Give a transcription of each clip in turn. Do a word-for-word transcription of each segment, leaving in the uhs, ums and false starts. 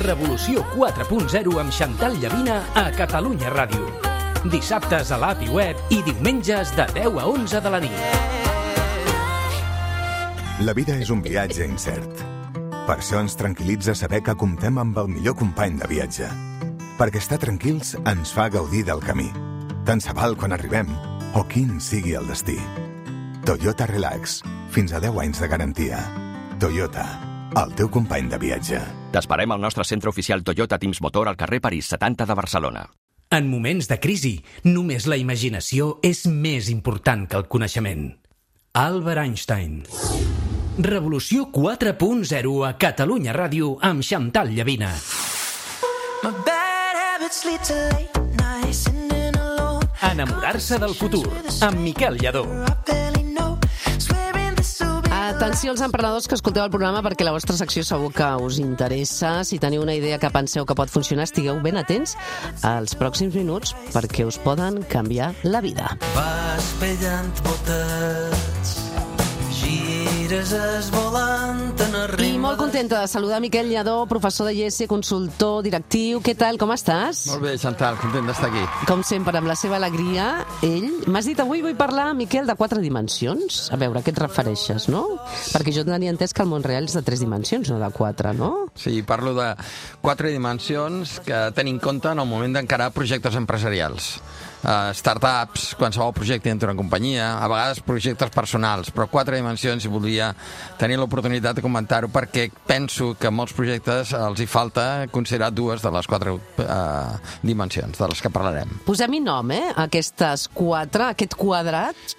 Revolució quatre punt zero amb Xantal Llavina a Catalunya Ràdio. Dissabtes a l'app i web i diumenges de deu a onze de la nit. La vida és un viatge incert. Per això ens tranquil·litza saber que comptem amb el millor company de viatge. Perquè estar tranquils ens fa gaudir del camí. Tant se val quan arribem o quin sigui el destí. Toyota Relax. Fins a deu anys de garantia. Toyota, el teu company de viatge. T'esperem al nostre centre oficial Toyota Teams Motor al carrer París setanta de Barcelona. En moments de crisi, només la imaginació és més important que el coneixement. Albert Einstein. Revolució quatre punt zero a Catalunya Ràdio amb Xantal Llavina. Enamorar-se del futur amb Miquel Lladó. Atenció als emprenedors que escolteu el programa, perquè la vostra secció segur que us interessa. Si teniu una idea que penseu que pot funcionar, estigueu ben atents als pròxims minuts perquè us poden canviar la vida. Vas pellant botets, gires esvolant en el ritme... I molt contenta de saludar Miquel Lladó, professor de I E S E, consultor, directiu. Què tal, com estàs? Molt bé, Xantal, content d'estar aquí. Com sempre, amb la seva alegria, ell... M'has dit avui vull parlar, Miquel, de quatre dimensions. A veure, a què et refereixes, no? Perquè jo tenia entès que el món real és de tres dimensions, no de quatre, no? Sí, parlo de quatre dimensions que tenim en compte en el moment d'encarar projectes empresarials. Uh, startups, qualsevol projecte dintre d'una companyia, a vegades projectes personals, però quatre dimensions, i volia tenir l'oportunitat de comentar-ho perquè penso que a molts projectes els hi falta considerar dues de les quatre uh, dimensions de les que parlarem. Posem-hi nom, eh? Aquestes quatre, aquest quadrat...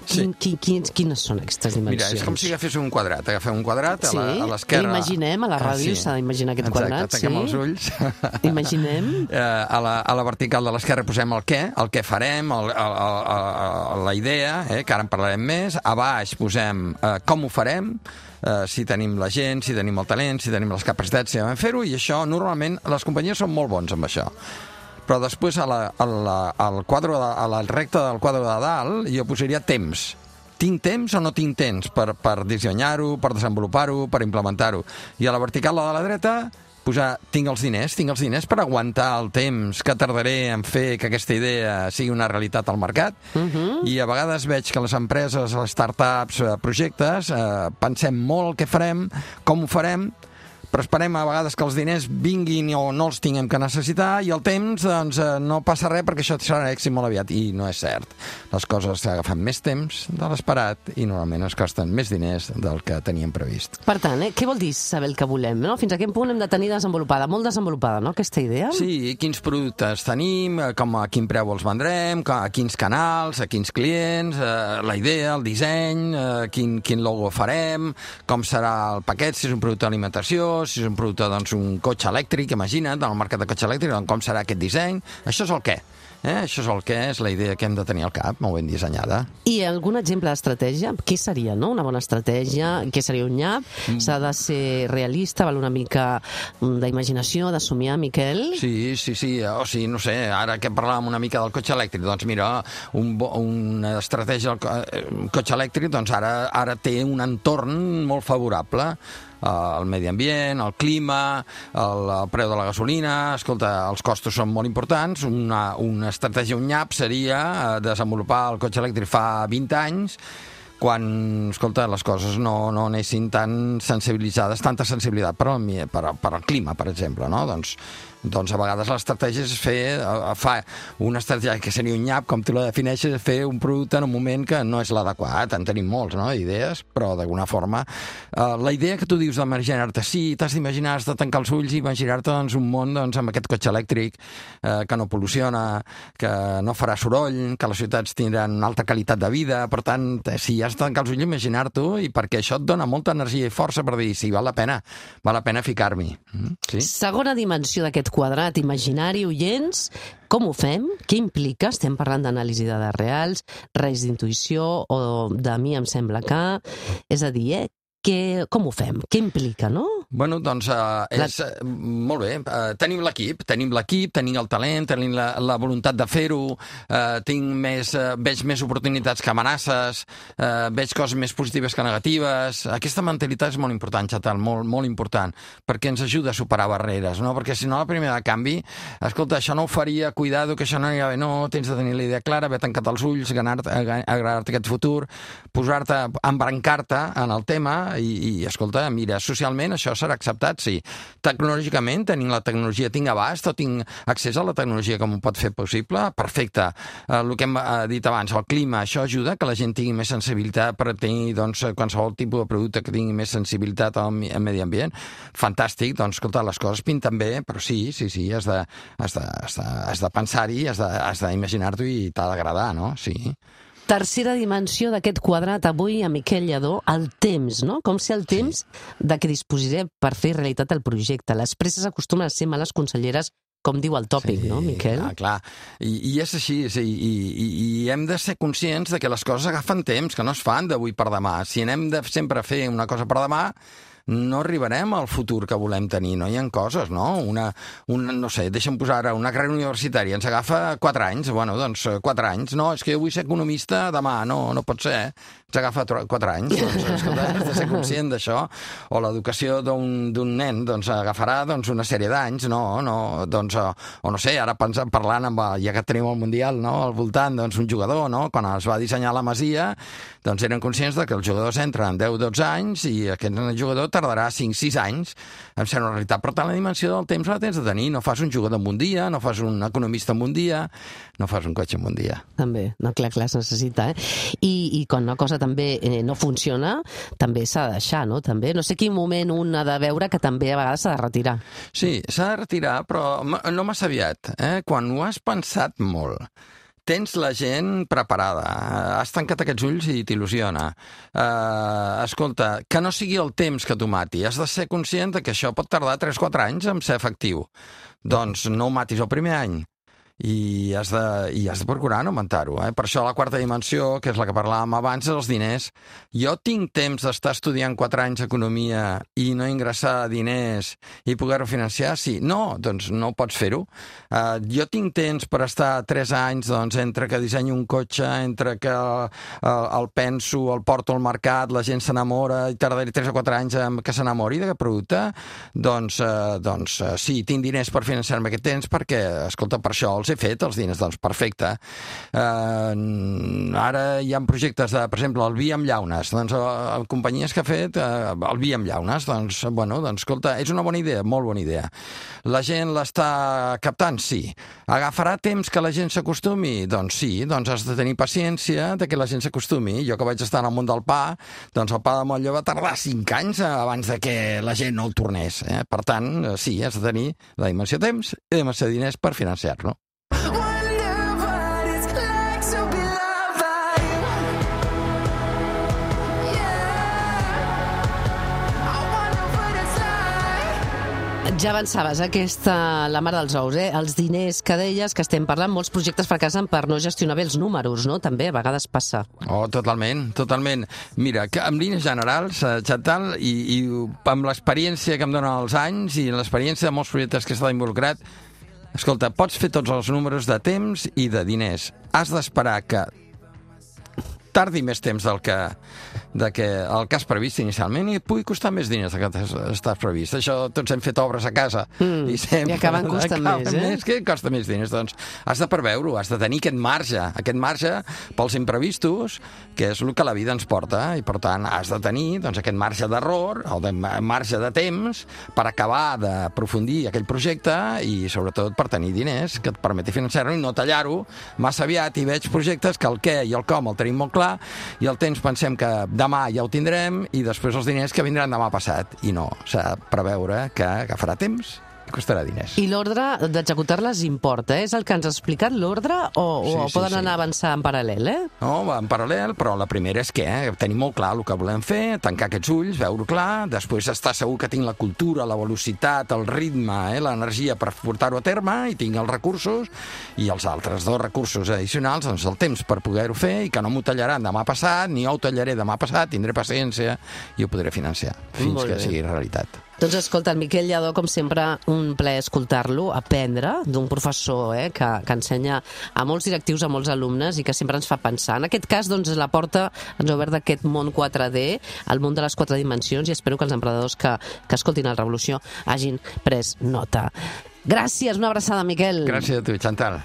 Sí. Quin, quin, quins, quines són aquestes dimensions? Mira, és com si agafés un quadrat. Agafem un quadrat sí? a l'esquerra... L'imaginem, a la ràdio ah, sí. s'ha d'imaginar aquest Exacte, quadrat. Exacte, tanquem sí? els ulls. Imaginem. a, la, a la vertical de l'esquerra posem el què, el què farem, el, el, el, el, la idea, eh, que ara en parlarem més. A baix posem eh, com ho farem, eh, si tenim la gent, si tenim el talent, si tenim les capacitats, si vam fer-ho, i això normalment les companyies són molt bons amb això. Però després a la, a la, al quadre de, a la recta del quadre de dalt jo posaria temps. Tinc temps o no tinc temps per, per dissenyar-ho, per desenvolupar-ho, per implementar-ho. I a la vertical de la dreta posar tinc els diners, tinc els diners per aguantar el temps que tardaré en fer que aquesta idea sigui una realitat al mercat. Uh-huh. I a vegades veig que les empreses, les startups, projectes, eh, pensem molt el que farem, com ho farem, però esperem a vegades que els diners vinguin o no els tinguem que necessitar, i el temps, doncs, no passa res perquè això serà èxit molt aviat. I no és cert. Les coses agafen més temps de l'esperat i normalment es costen més diners del que teníem previst. Per tant, eh, què vol dir saber el que volem? No? Fins a quin punt hem de tenir desenvolupada, molt desenvolupada, no?, aquesta idea? Sí, quins productes tenim, com a quin preu els vendrem, a quins canals, a quins clients, eh, la idea, el disseny, eh, quin, quin logo farem, com serà el paquet, si és un producte d'alimentació, si és un producte, doncs, un cotxe elèctric, imagina't, en el mercat de cotxe elèctric, doncs, com serà aquest disseny. Això és el què. Eh? Això és el què, és la idea que hem de tenir al cap, molt ben dissenyada. I algun exemple d'estratègia? Què seria, no?, una bona estratègia? Què seria un nyap? Mm. S'ha de ser realista, val una mica d'imaginació, de somiar, Miquel? Sí, sí, sí. O sigui, no sé, ara que parlàvem una mica del cotxe elèctric, doncs mira, un, una estratègia del cotxe elèctric, doncs ara, ara té un entorn molt favorable. El medi ambient, el clima, el, el preu de la gasolina, escolta, els costos són molt importants. Una, una estratègia, un nyap, seria desenvolupar el cotxe elèctric fa vint anys, quan, escolta, les coses no, no anessin tan sensibilitzades, tanta sensibilitat per al, per, per al clima, per exemple, no? Doncs, doncs a vegades l'estratègia és fer, fa una estratègia que seria un nyap, com tu la defineixes, és fer un producte en un moment que no és l'adequat. En tenim molts, no?, idees, però d'alguna forma eh, la idea que tu dius d'imaginar-te, sí, t'has d'imaginar, has de tancar els ulls i imaginar-te, doncs, un món, doncs, amb aquest cotxe elèctric eh, que no pol·luciona, que no farà soroll, que les ciutats tindran una alta qualitat de vida. Per tant, si has de tancar els ulls, imaginar-t'ho, i perquè això et dona molta energia i força per dir, sí, val la pena, val la pena ficar-m'hi. Sí? Segona dimensió d'aquest quadrat imaginari, oients, com ho fem? Què implica? Estem parlant d'anàlisi de dades reals, reis d'intuïció o de mi em sembla que... És a dir, eh? Que, com ho fem? Què implica, no? Bueno, doncs uh, és uh, molt bé. Uh, tenim l'equip, tenim l'equip, tenim el talent, tenim la, la voluntat de fer-ho, uh, tinc més, uh, veig més oportunitats que amenaces, uh, veig coses més positives que negatives. Aquesta mentalitat és molt important, Xatal, molt, molt important, perquè ens ajuda a superar barreres, no? Perquè si no, la primera de canvi, escolta, això no ho faria, cuidado, que això no anirà bé, no, tens de tenir la idea clara, haver tancat els ulls, agradar-te aquest futur, posar-te, embrancar-te en el tema i, i escolta, mira, socialment això serà acceptat, sí. Tecnològicament, tenim la tecnologia, tinc abast o tinc accés a la tecnologia com ho pot fer possible? Perfecte. Eh, el que hem dit abans, el clima, això ajuda que la gent tingui més sensibilitat per tenir doncs, qualsevol tipus de producte que tingui més sensibilitat al medi ambient. Fantàstic, doncs, escolta, les coses pinten bé, però sí, sí, sí, has de, has de, has de, has de pensar-hi, has de, has d'imaginar-t'ho i t'ha d'agradar, no? Sí. Tercera dimensió d'aquest quadrat avui a Miquel Lladó, el temps, no? Com ser el temps de què disposaré per fer realitat el projecte. Les presses acostumen a ser males conselleres, com diu el tòpic, sí, no, Miquel? Ah, clar, I, i és així, sí, i, i, i hem de ser conscients de que les coses agafen temps, que no es fan d'avui per demà. Si anem de sempre a fer una cosa per demà, no arribarem al futur que volem tenir, no? Hi ha coses, no? Una, una no sé, deixa'm posar ara, una carrera universitària, ens agafa quatre anys, bueno, doncs quatre anys, no, és que jo vull ser economista demà, no, no pot ser, ens agafa quatre anys, doncs, escolta, has de ser conscient d'això, o l'educació d'un nen, doncs, agafarà, doncs, una sèrie d'anys, no, no, doncs, o, o no sé, ara pensant, parlant amb, ja que tenim el Mundial, no, al voltant, doncs, un jugador, no, quan es va dissenyar la Masia, doncs eren conscients de que els jugadors entren deu o dotze anys i aquest jugador tardarà cinc o sis anys en ser una realitat. Per tant, la dimensió del temps la tens de tenir. No fas un jugador en un dia, no fas un economista en un dia, no fas un cotxe en un dia. També, no, clar, clar, es necessita, eh? I, i quan una cosa també eh, no funciona, també s'ha de deixar, no? També, no sé quin moment un ha de veure que també a vegades s'ha de retirar. Sí, s'ha de retirar, però no massa aviat, eh? Quan ho has pensat molt, tens la gent preparada, has tancat aquests ulls i t'il·lusiona. Uh, escolta, que no sigui el temps que t'ho mati, has de ser conscient que això pot tardar tres o quatre anys en ser efectiu. Doncs no ho matis el primer any. I has de, i has de procurar no augmentar-ho. Eh? Per això la quarta dimensió, que és la que parlàvem abans, és els diners. Jo tinc temps d'estar estudiant quatre anys economia i no ingressar diners i poder-ho financiar? Sí. No, doncs no pots fer-ho. Uh, jo tinc temps per estar tres anys doncs, entre que dissenyo un cotxe, entre que uh, el penso, el porto al mercat, la gent s'enamora i tardaré tres o quatre anys que s'enamori d'aquest producte? Doncs, uh, doncs uh, sí, tinc diners per financiar-me aquest temps perquè, escolta, per això els he fet, els diners, doncs perfecte. Uh, ara hi ha projectes de, per exemple, el vi amb llaunes, doncs uh, companyies que ha fet uh, el vi amb llaunes, doncs, bueno, doncs, escolta, és una bona idea, molt bona idea. La gent l'està captant? Sí. Agafarà temps que la gent s'acostumi? Doncs sí, doncs has de tenir paciència de que la gent s'acostumi. Jo que vaig estar en el món del pa, doncs el pa de motlle va tardar cinc anys abans de que la gent no el tornés. Eh? Per tant, sí, has de tenir la dimensió de temps i la dimensió de diners per financiar-lo. Ja avançaves, aquesta, la mare dels ous, eh? Els diners que deies, que estem parlant, molts projectes fracassen per no gestionar bé els números, no? També a vegades passa. Oh, totalment, totalment. Mira, que en línies generals, Xatal, i, i amb l'experiència que em donen els anys i l'experiència de molts projectes que he estat involucrat, escolta, pots fer tots els números de temps i de diners. Has d'esperar que tardi més temps del que, de que el que has previst inicialment i et pugui costar més diners del que estàs previst. Això, tots hem fet obres a casa mm, i sempre i acaben costant acaben més, eh? més, que costa més diners. Doncs has de preveure-ho, has de tenir aquest marge, aquest marge pels imprevistos, que és el que la vida ens porta, i per tant has de tenir doncs, aquest marge d'error, el de marge de temps, per acabar d'aprofundir aquell projecte i sobretot per tenir diners que et permeti financiar-ho i no tallar-ho massa aviat. I veig projectes que el què i el com el tenim molt clar i el temps pensem que demà ja ho tindrem i després els diners que vindran demà passat. I no, s'ha de preveure que agafarà temps i costarà diners. I l'ordre d'executar-les importa, eh? És el que ens ha explicat l'ordre o, sí, o sí, poden sí. anar avançant en paral·lel, eh? No, en paral·lel, però la primera és que eh, tenir molt clar el que volem fer, tancar aquests ulls, veure-ho clar, després estar segur que tinc la cultura, la velocitat, el ritme, eh, l'energia per portar-ho a terme i tinc els recursos i els altres dos recursos addicionals, doncs el temps per poder-ho fer i que no m'ho tallaran demà passat, ni jo ho tallaré demà passat, tindré paciència i ho podré financiar fins que sigui realitat. Doncs escolta, el Miquel Lladó, com sempre, un plaer escoltar-lo, aprendre d'un professor eh, que, que ensenya a molts directius, a molts alumnes i que sempre ens fa pensar. En aquest cas, doncs, la porta ens ha obert d'aquest món quatre D, el món de les quatre dimensions, i espero que els emprenedors que, que escoltin la Revolució hagin pres nota. Gràcies, una abraçada, Miquel. Gràcies a tu, Chantal.